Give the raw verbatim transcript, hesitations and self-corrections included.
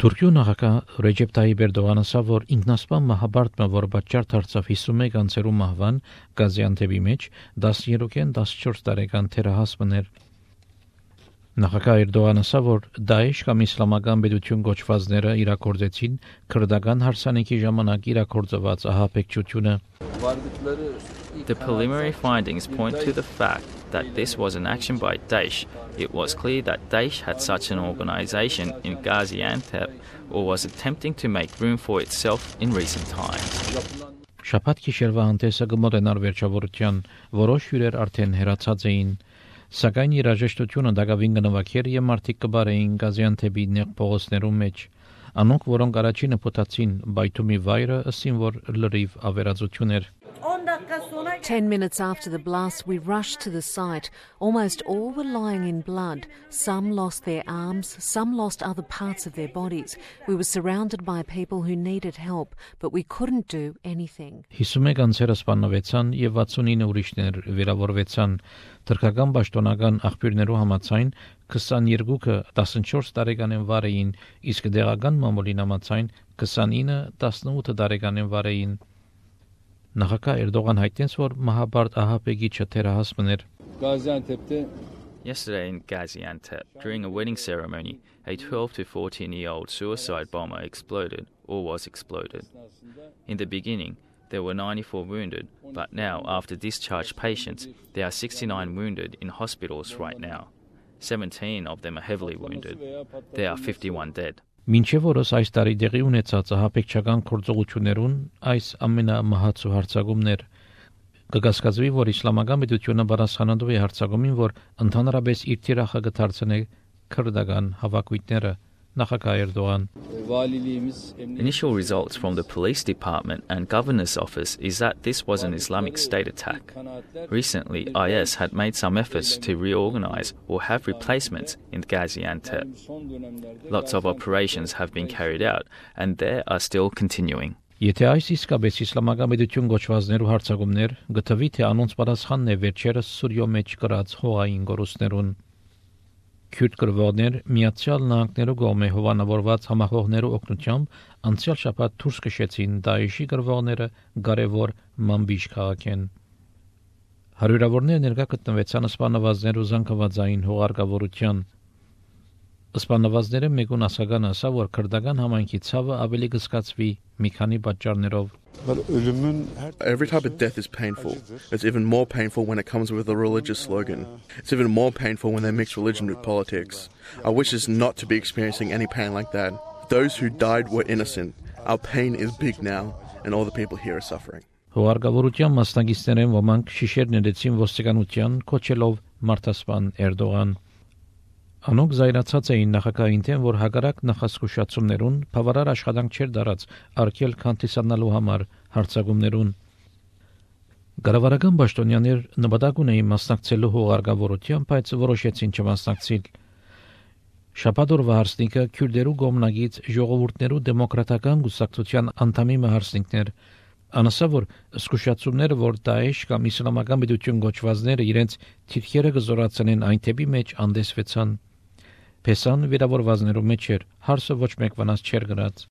Թուրքիո նախագահ Ռեջեփ Թայիպ Էրդողանը ասավ, որ ինքնասպան մահաբարտը, որ պատճառ դարձավ հիսունմեկ անձերու մահվան Գազիանտեփի մեջ, տասներկու տասնչորս տարեկան թերահասմն էր։ Նախագահ Էրդողանը ասավ, որ Դաեշ կամ իսլամական պետություն գոչվածները իրագործեցին քրդական հարսանիքի ժամանակ իրագործված ահաբեկչությունը։ The preliminary findings point to the fact that this was an action by Daesh. It was clear that Daesh had such an organization in Gaziantep or was attempting to make room for itself in recent times. Շաբաթ գիշերվա հանդեսը կմոտենար վերջավորության, որոշ հյուրեր արդեն հեռացած էին, սակայն երաժշտությունը դակավին կնվագեր եւ մարդիկ կբարեին Գազիանտեպի նեղ փողոցներում մեջ, անոնք որոնք առաջինը փոթացին բայթումի վայրը, ըսին որ լրիվ ավերածություն էր։ Ten minutes after the blast, we rushed to the site. Almost all were lying in blood. Some lost their arms, some lost other parts of their bodies. We were surrounded by people who needed help, but we couldn't do anything. հիսունմեկ անձերը սպանվեցան եւ վաթսունինը ուրիշներ վիրավորվեցան։ Թուրքական պաշտոնական աղբյուրներու համաձայն քսաներկուը տասնչորս տարեկանեն վարեին, իսկ դեղական մամուլին համաձայն քսանինը տասնութ տարեկանեն վարեին։ Նախագահ Էրդողան հայտնեց, որ մահաբարտ ահաբեկիչը թերահասմն էր։ Yesterday in Gaziantep, during a wedding ceremony, a twelve to fourteen-year-old suicide bomber exploded or was exploded. In the beginning, there were ninety-four wounded, but now, after discharged patients, there are sixty-nine wounded in hospitals right now. seventeen of them are heavily wounded. There are fifty-one dead. Մինչև օրս այս տարի դեղի ունեցած ահաբեկչական գործողություններուն այս ամենամահացու հարձակումներ կգասկածվի, որ իսլամական պետությունը պատասխանատու է հարձակումին, որ ընդհանրապես իր թիրախը կդարձնի քրդական հավաքույթները։ Նախագահ Էրդողան Initial results from the police department and governor's office is that this was an Islamic State attack. Recently, I S had made some efforts to reorganize or have replacements in Gaziantep. Lots of operations have been carried out and they are still continuing. Եթե այս իսկապես իսլամական պետություն գոչվածներու հարձակումներ գտվի, թե անոնց պատասխանն է վերջերս Սուրիո մեջ կրած հողային գորուստներուն։ Քյուրդ գրվողներ Միացյալ Նահանգներու կողմէ հովանավորված համախոհներու օգնությամբ անցյալ շաբաթ դուրս քշեցին Դաեշի գրվողները կարևոր Մամբիշ քաղաքեն։ Հարյուրավորներ ներկա գտնվեցան սպանվածներու զանգվածային հողարկավորության։ Սպանվածները մեկուն ասական ասա, որ քրդական համայնքի ցավը ավելի կսկացվի մի քանի պատճառներով։ Every type of death is painful. It's even more painful when it comes with a religious slogan. It's even more painful when they mix religion with politics. I wish us not to be experiencing any pain like that. Those who died were innocent. Our pain is big now, and all the people here are suffering. Հողարկավորության մասնակիցներն ոմանք շիշեր ներեցին ոստիկանության կոչելով մարտասպան Էրդողան։ Անոնք զայրացած էին նախագահին թեմ, որ հակառակ նախասկուշացումներուն բավարար աշխատանք չէր դարած արկել քանտիսանալու համար հարձակումներուն։ Գարավարական պաշտոնյաներ նպատակ ունեին մասնակցելու հողարկավորության, բայց որոշեցին չմասնակցել։ Շաբաթ օրվա հարսնիկը քյուրդերու գոմնագից ժողովուրդներու դեմոկրատական գուսակցության անդամի մահարսնիկներ անասա, որ սկուշացումները, որ Դաեշ կամ իսլամական պետություն գոչվածները իրենց թիրքերը կզորացնեն այն թեպի մեջ անդեսվեցան։ Փեսան վիրավորվածներու մեջ էր, հարսը ոչ մեկ վնաս չէր գրած։